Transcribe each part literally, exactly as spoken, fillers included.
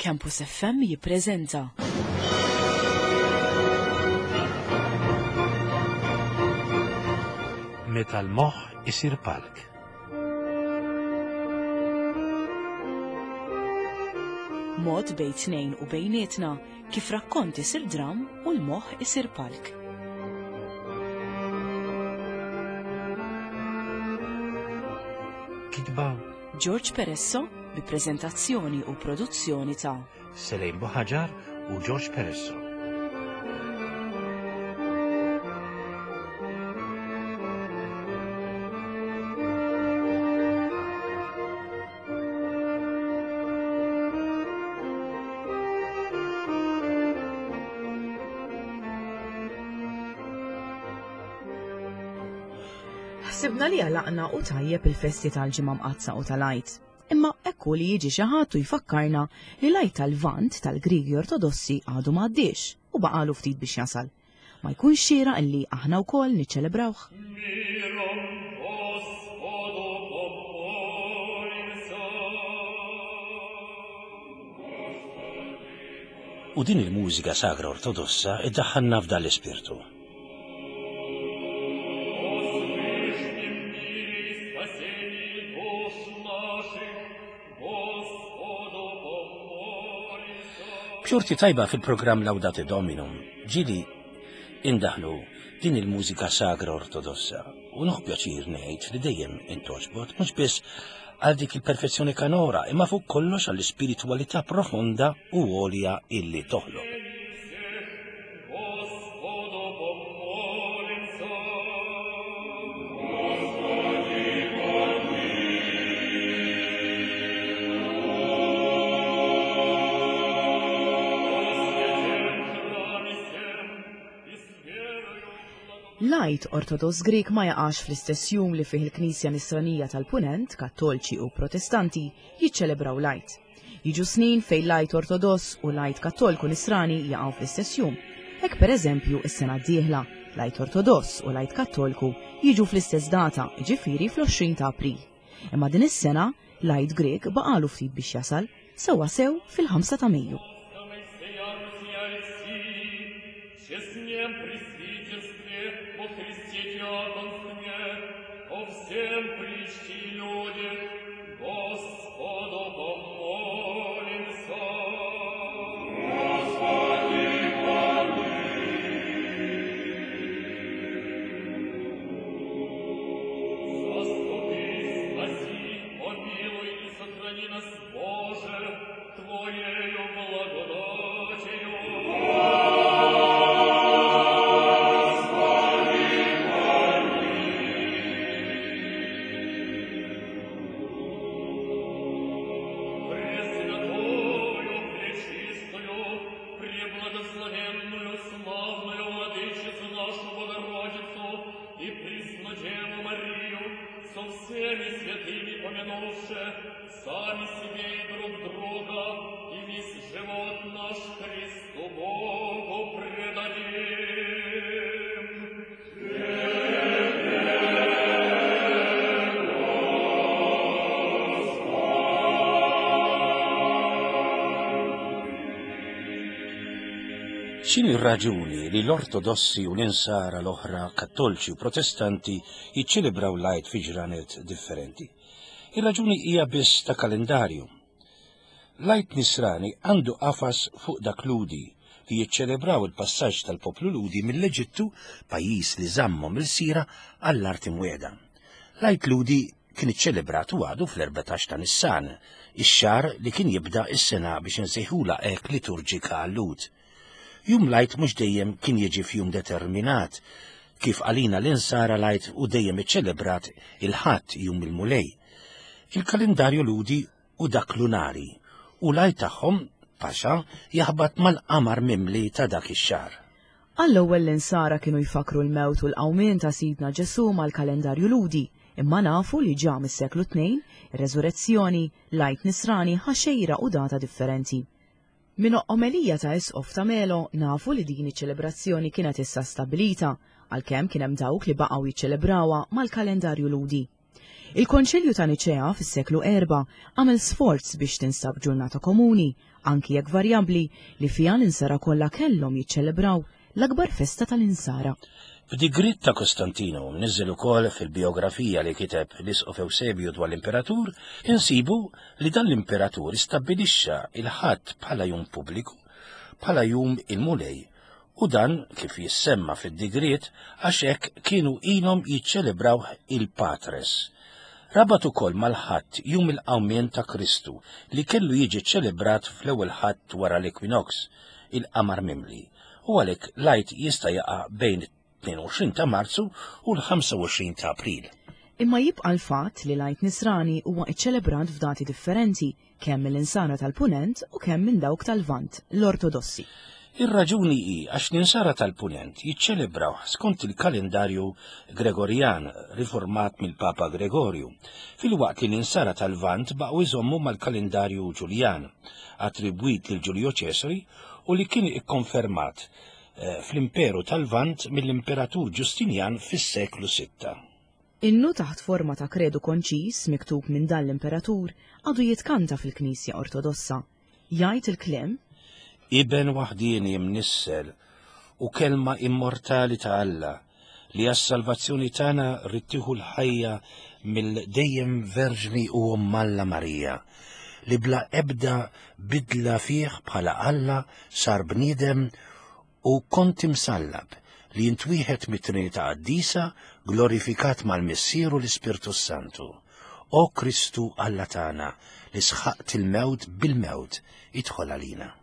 Campus F M jippreżenta Meta l-moħħ isir palk. Mod bejn tnejn u bejnietna kif rakkont isir dram u l-moħħ isir palk. Kitba George Peresso bi preżentazzjoni u produzzjoni ta' Selejn Buħaġar u George Peresso. Ħsibna li għalaqna u tajjeb il-festi tal-Ġimgħa Mqaddsa u tal-Għid. Imma ekku li jiġi xi ħadd u jfakkarna li l-Għid tal-Lvant tal-Grigi Ortodossi għadu m'għaddiex u baqalu ftit biex jasal. Ma jkunx xieraq illi aħna wkoll niċċelebrawh? Миром Господу помолимся. U din il-mużika sagra ortodossa iddaħħalna f'dan l-ispirtu. О свышнем мире и спасении душ наших, Господу помолимся. B'xorti tajba fil-programm Laudate Dominum ġieli indaħlu din il-mużika sagra ortodossa u nieħu pjaċir ngħid li dejjem intogħġbot mhux biss għal dik il-perfezzjoni kanora imma fuq kollox għall-ispiritwalità profonda u għolja illi toħloq. Господу помолимся. Храме сем и с верою L-Għid Ortodoss Grieg ma jaqax fl-istess jum li fih il-Knisja Nisranija tal-Punent, Kattolċi u Protestanti jiċċelebraw l-Għid. Jiġu snin fejn l-Għid Ortodoss u l-Għid Kattolku Nisrani jaqgħu fl-istess jum. Hekk pereżempju is-sena d-dieħla, l-Għid Ortodoss u l-Għid Kattolku jiġu fl-istess data, jiġifieri fl-għoxrin ta' April. Imma din is-sena l-Għid Grieg baqalu ftit biex jasal, sewwa sew fil-ħamsa ta' Mejju. Честнем пресвитерстве во Христе диаконстве, о всем притчи люди, Господу помолимся. Господи, Заступи, спаси, помилуй и сохрани нас, Боже, Твоею благодатью. Пресвятую, пречистую, преблагословенную, славную Владычицу нашу Богородицу и Приснодеву Марию, со всеми святыми помянувши, сами себе и друг друга, и весь живот наш Христу Богу предадим. X'inhi r-raġuni li l-Ortodossi u l-Insara l-oħra Kattolċi u Protestanti jiċċelebraw l-Għid fi ġranet differenti? Ir-raġuni hija biss ta' kalendarju. L-Għid Nisrani għandu qafas fuq dak Lhudi li jiċċelebraw il-passaġġ tal-poplu Lhudi mill-Eġittu, pajjiż li żammhom il-sira, għall-art imwiegħda. L-Għid Lhudi kien iċċelebrat u għadu fl-erbatax ta' Nissan, ix-xahar li kien jibda s-sena biex insejħula hekk liturġika għal-Lhud. Jum l-Għid mhux dejjem kien jiġi f'jum determinat, kif għalina l-Insara l-Għid u dejjem iċċelebrat il-Ħadd jum il-Mulej. Il-kalendarju Lhudi u dak lunari, u l-Għid tagħhom, Paxa, jaħbat mal-qamar mimli ta' dak ix-xahar. Għall-ewwel l-Insara kienu jfakru l-mewt u l-qawmien ta' Sidna Ġesu mal-kalendarju Lhudi, imma nafu li ġa mis-seklu tnejn, ir-reżurezzjoni, l-Għid Nisrani ħaxejra u data differenti. Minn omelija ta' Isqof ta' Melo nafu li din iċ-ċelebrazzjoni kienet issa stabilita, għalkemm kien hemm dawk li baqgħu jiċċelebrawha mal-kalendarju Lhudi. Il-Konċilju ta' Niċea fis-seklu erba' għamel sforz biex tinstab ġurnata komuni, anki jekk varjabbli, li fiha l-insara kollha kellhom jiċċelebraw l-akbar festa tal-insara. F'digriet ta' Kostantino, mniżżel ukoll fil-biografija li kiteb l-Isqof Eusebju dwar l-Imperatur, insibu li dan l-Imperatur istabbilixxa il-Ħadd bħala jum pubbliku, bħala jum il-Mulej, u dan kif jissemma fid-digriet għax hekk kienu ilhom jiċċelebrawh il-Patres. Rabat ukoll mal-Ħadd jum il-qawmien ta' Kristu li kellu jiġi ċċelebrat fl-ewwel Ħadd wara l-ekwinox, il-qamar mimli, u għalhekk l-Għid jista' jaqa' bejn tnejn u għoxrin ta' Marzu u l-ħamsa u għoxrin ta' April. Imma jibqa' l-fatt li l-Għid Nisrani huwa ċċelebrat f'dati differenti, kemm mill-insara tal-Punent u kemm minn dawk tal-Lvant, l-Ortodossi. Ir-raġuni hi għax l-insara tal-Punent jiċċelebraw skont il-kalendarju Gregorjan riformat mill-Papa Gregorju, filwaqt li l-insara tal-Lvant baqgħu jżommu mal-kalendarju Ġuljan, attribwit lil Ġulju Ċesari u li kien ikkonfermat, eh, fl-Imperu tal-Lvant mill-Imperatur Ġustinjan fis-seklu sitta. Innu taħt forma ta' kredu konċis miktub minn dan l-Imperatur għadu jitkanta fil-Knisja Ortodossa. Jgħid il-kliem: Iben waħdieni imnissel u kelma immortali ta' Alla li għas-salvazzjoni tagħna rittieħu l-ħajja mill-dejjem Verġni u Omm Alla Marija, li bla ebda bidla fih bħala Alla sar bniedem u kont imsallab li jintwieħed mit-Trinità Qaddisa glorifikat mal-Missier u l-Ispirtu Santu. O Kristu Alla tagħna li sħaqt il-mewt bil-mewt, idħol għalina.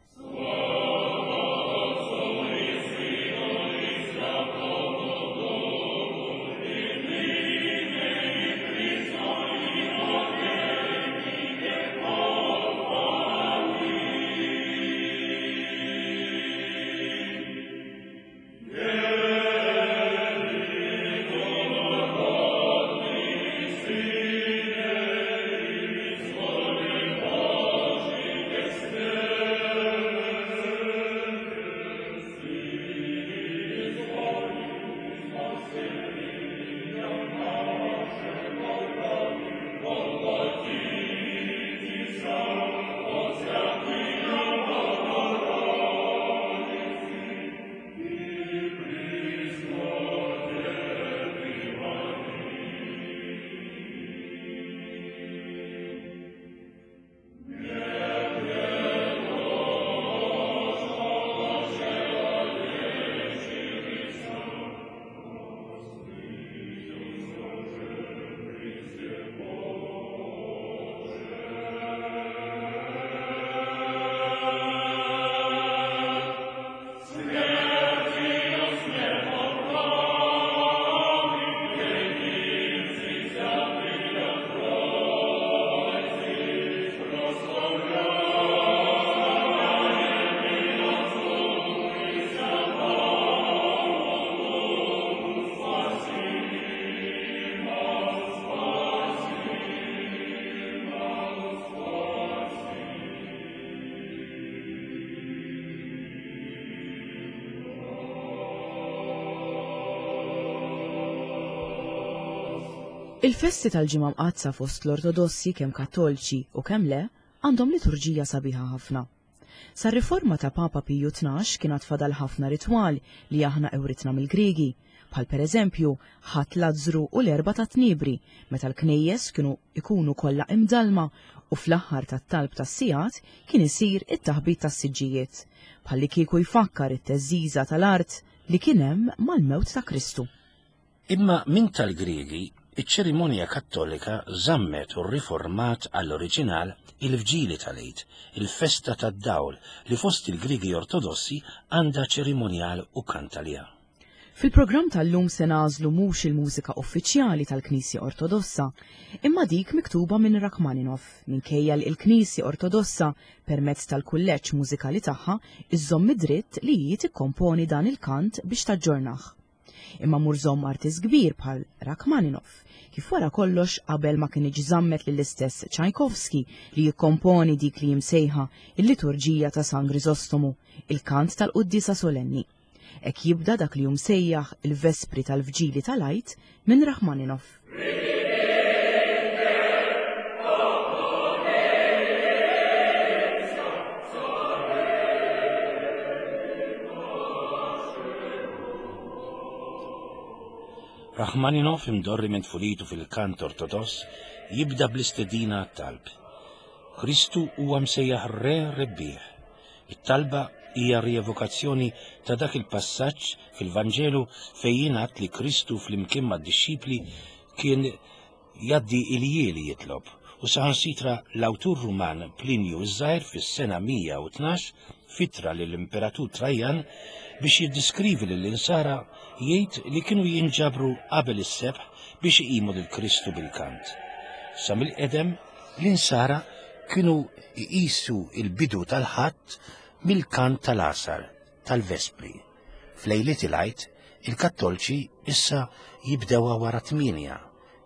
Il-festi tal-Ġimgħa Mqaddsa fost l-Ortodossi kemm Kattolċi u kemm le għandhom liturġija sabiħa ħafna. Sar-riforma ta' Papa Piju tnax kien għad fadal ħafna ritwal li aħna ewritna mill-Griegi, bħal pereżempju Ħadd Lazzru u l-Erbgħa ta' Tniebri, meta l-knejjes kienu ikunu kollha imdalma u fl-aħħar tat-talb tas-sigħat kien isir it-taħbit tas-siġġijiet, bħalli kieku jfakkar it-teżżiża tal-art li kien hemm mal-mewt ta' Kristu. Imma min tal-Griegi, iċ-ċerimonja Kattolika żammet u rriformat għall-oriġinal il-Vġili tal-Għid, il-festa tad-dawl li fost il-Griegi Ortodossi għandha ċerimonjal u kant għaliha. Fil-programm tal-lum se nagħżlu mhux il-mużika uffiċjali tal-Knisja Ortodossa, imma dik miktuba minn Rachmaninov, minkejja li l-Knisja Ortodossa permezz tal-kulleġġ mużikali tagħha iżżomm id-dritt li hi tikkomponi dan il-kant biex taġġornah. Imma mur żomm artist kbir bħal Rachmaninov, kif wara kollox qabel ma kien iġżammet lill-istess Tchaikovsky li jikkomponi dik li jimsejħa il-liturġija ta' San Grisostomu, il-kant tal-Quddiesa Solenni. Hekk jibda dak li jumsejjaħ il-Vespri tal-Vġili tal-Għid minn Rachmaninov. Rachmaninov, imdorri minn tfulitu fil-kant ortodoss, jibda bl-istedina għat-talb. Kristu huwa msejjaħ re rebbieħ. It-talba hija rievokazzjoni ta' dak il-passaġġ fil-Vanġelu fejn jingħad li Kristu flimkien mad-dixxipli kien jgħaddi iljieli jitlob, u saħansitra l-awtur Ruman Plinju ż-Żgħir fis-sena mija u tnax fitra lill-Imperatur Trajan biex jiddiskrivi lill-insara jgħid li kienu jinġabru qabel is-sebħ biex iqimu lil Kristu bil-kant. Sa mill-qedem l-insara kienu jqisu il-bidu tal-Ħadd mill-kant tal-għasar, tal-Vespri. F'lejliet il-Għid, il-Kattolċi issa jibdewha wara tmienja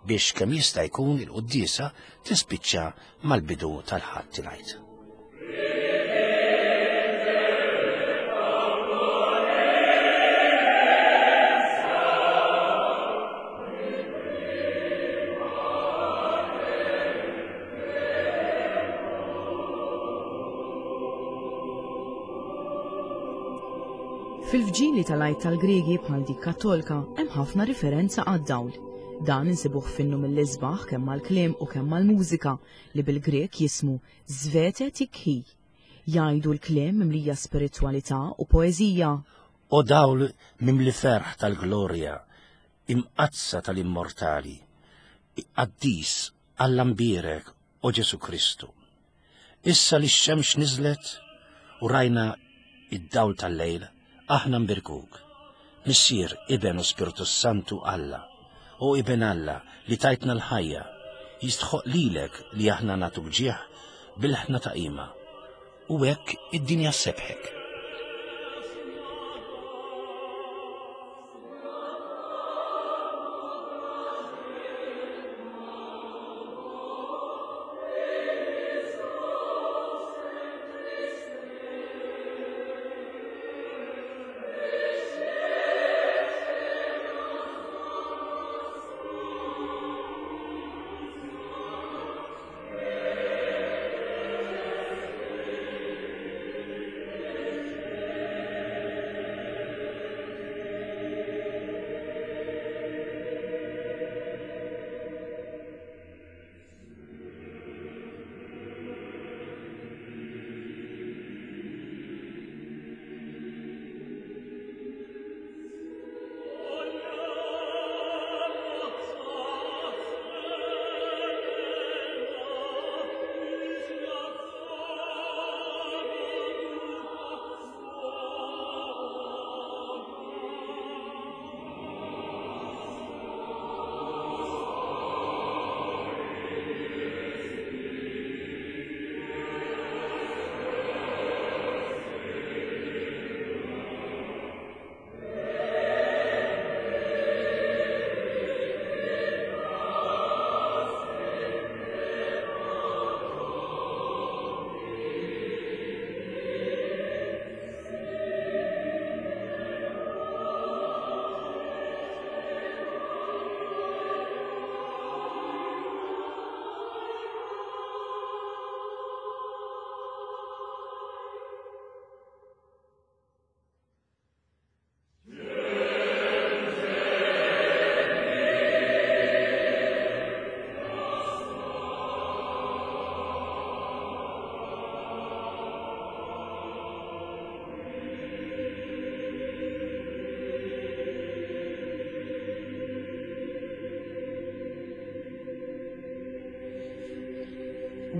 biex kemm jista' jkun il-quddiesa tispiċċa mal-bidu tal-Ħadd il-Għid. Fil-vġili tal-Għid tal-Griegi bħal dik Kattolka hemm ħafna riferenza għad-dawl. Dan insibuh finnu mill-isbaħ kemm mal-kliem u kemm mal-mużika li bil-Grek jismu Zvete Tikhi. Jgħidu l-kliem mimlija spiritwalità u poeżija. O dawl mimli ferħ tal-glorja, imqazza tal-immortali, qaddis Alla mbierek, o Ġesu Kristu. Issa li x-xemx niżlet u rajna id-dawl tal-lejl, aħna mbirkuk. Missier, Iben u Spiritu Santu Alla, o Iben Alla li tajtna l-ħajja, jistħoq lilek li aħna nagħtuk ġieħ bil-ħna ta' qima, u hekk id-dinja sebħek.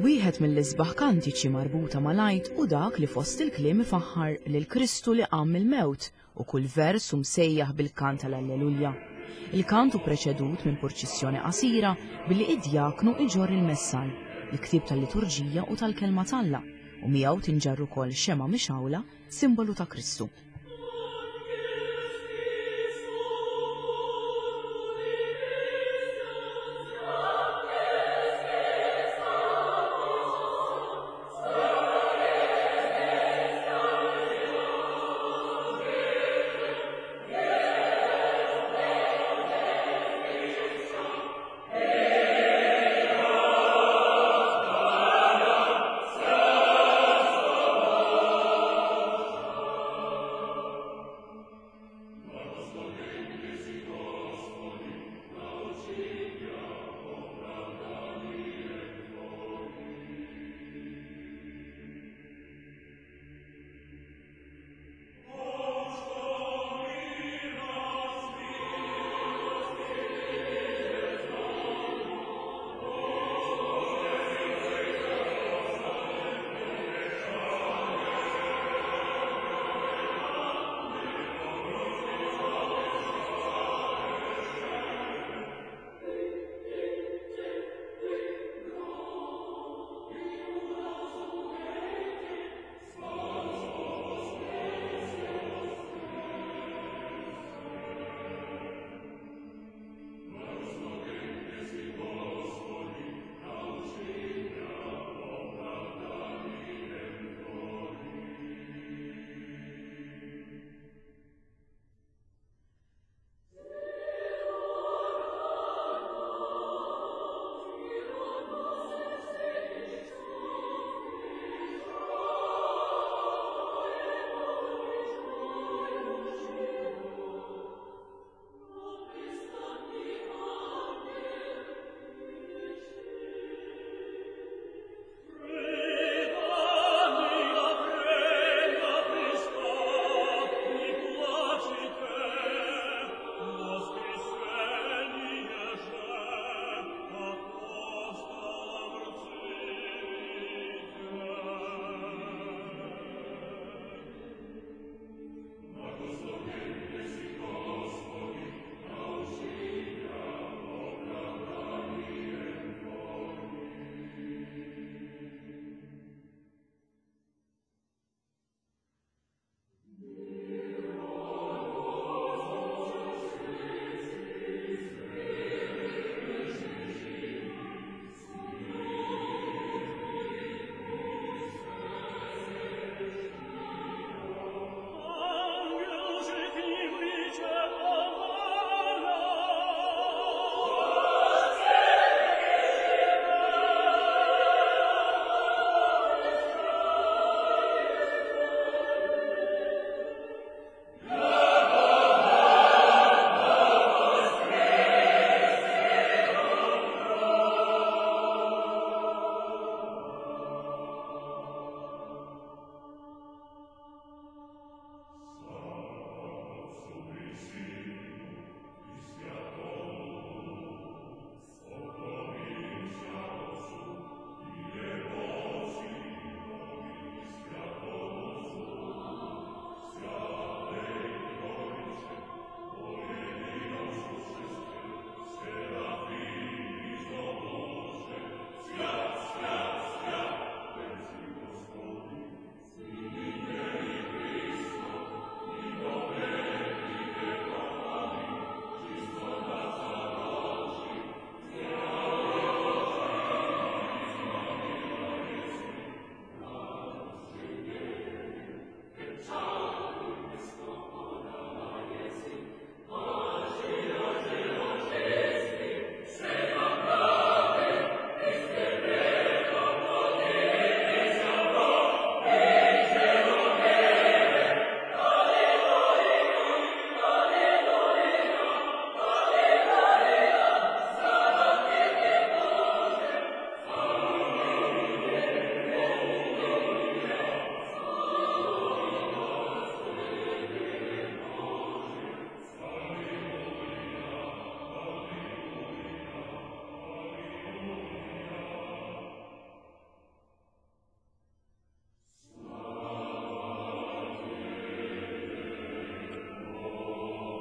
Wieħed mill-isbaħ kantiċi marbuta mal-Għid u dak li fost il-kliem ifaħħar lil Kristu li qam mill-mewt u kull vers hu msejjaħ bil-kant tal-Alleluja. Il-kant hu preċedut minn purċissjoni qasira billi id-djaknu iġorr il-messal, il-ktieb tal-liturġija u tal-kelma t'Alla, u miegħu tinġarr ukoll xema' mixgħula, simbolu ta' Kristu.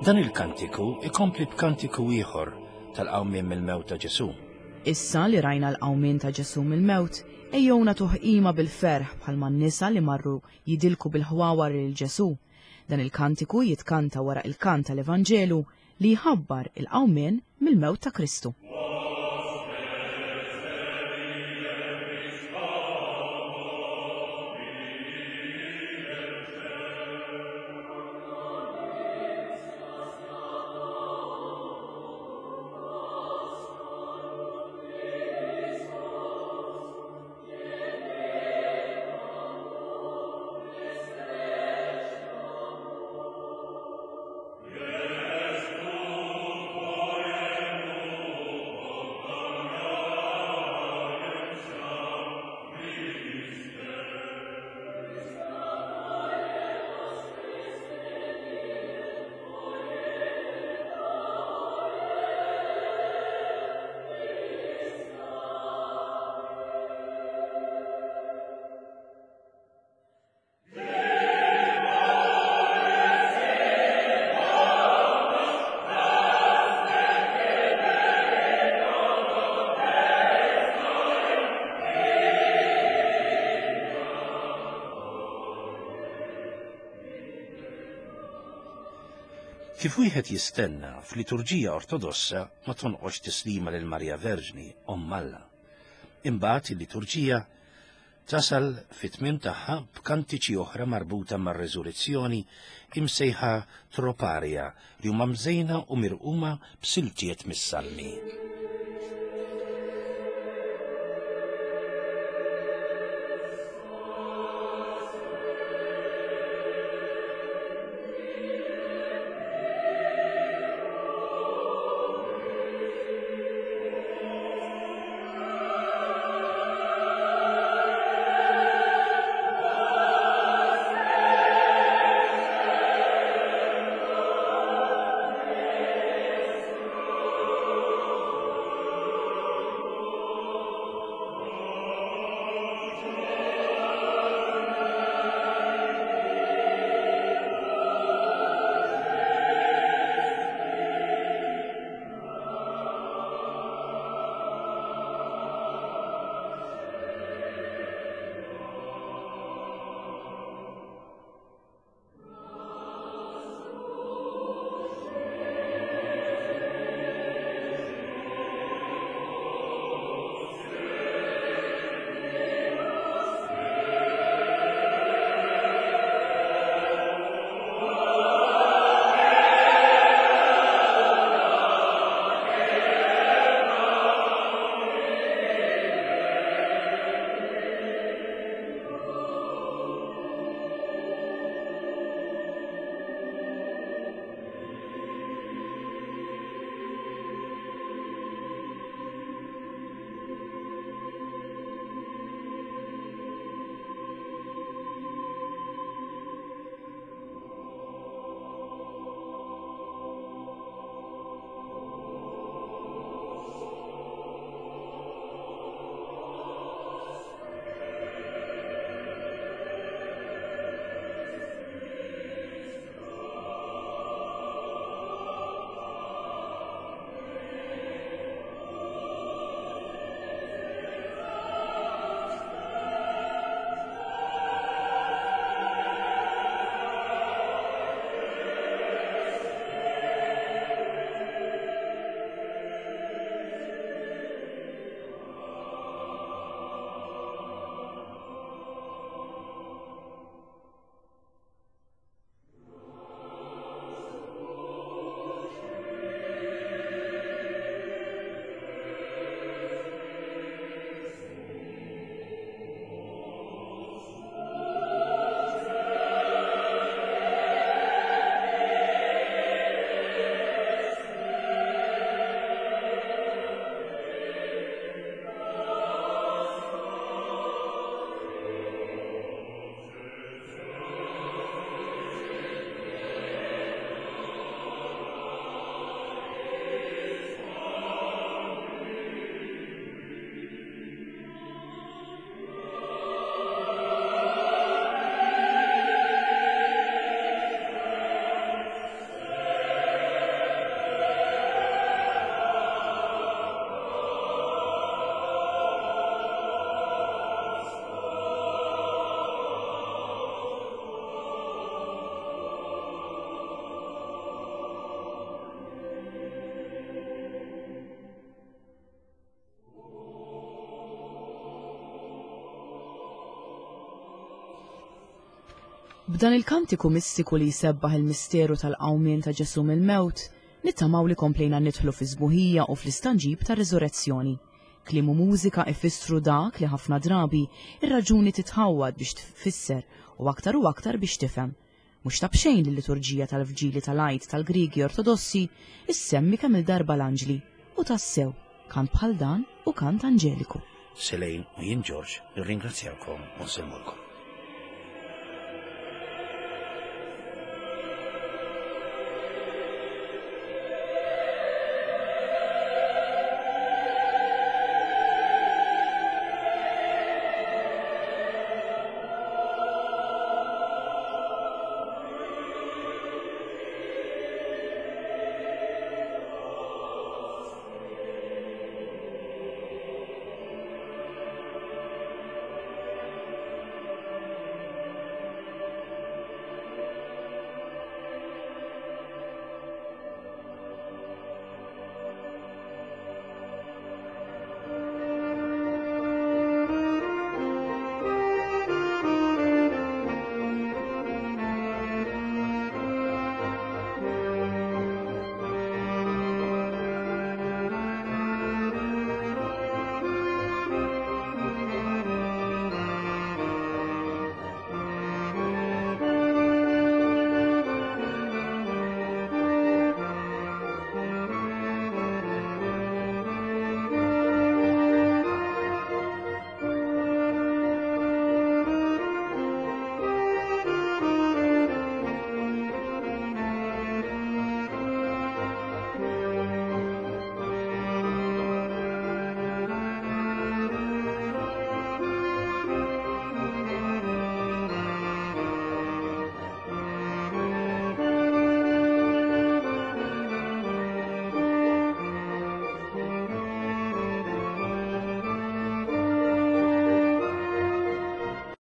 Dan il-kantiku ikompli b'kantiku ieħor tal-qawmien mill-mewt ta' Ġesù. Issa li rajna l-qawmien ta' Ġesù mill-mewt, ejjew nagħtuh qima bil-ferħ bħalma n-nisa li marru jidilku bil-ħwawar lil Ġesù. Dan il-kantiku jitkanta wara il-kant tal-Evanġelu li jħabbar il-qawmien mill-mewt ta' Kristu. Kif wieħed jistenna f'liturġija ortodossa ma tonqox tislima lil Marja Verġni, Omm Alla. Imbagħad il-liturġija tasal fit-tmiem tagħha b'kantiċi oħra marbuta mar-reżurrezzjoni imsejħa troparja li huma mżejna u mirquma b'siltiet mis-salmi. B'dan il-kantiku mistiku li jsebbaħ il-misteru tal-qawmien ta' Ġesù mill-mewt, nittamaw li komplejna nidħlu fi sbuħija u fl-istanġib ta' riżurezzjoni. Kliem u mużika ifissru dak li ħafna drabi ir-raġuni titħawwad biex tfisser u aktar u aktar biex tifhem. Mhux ta' b'xejn li l-liturġija tal-Vġili tal-Għid tal-Griegi Ortodossi issemmi kemm il-darba l-anġli u tassew kant bħal dan hu kant anġeliku. Selejn u jien Ġorġ nirringrazzjawkom u nsellmulkom.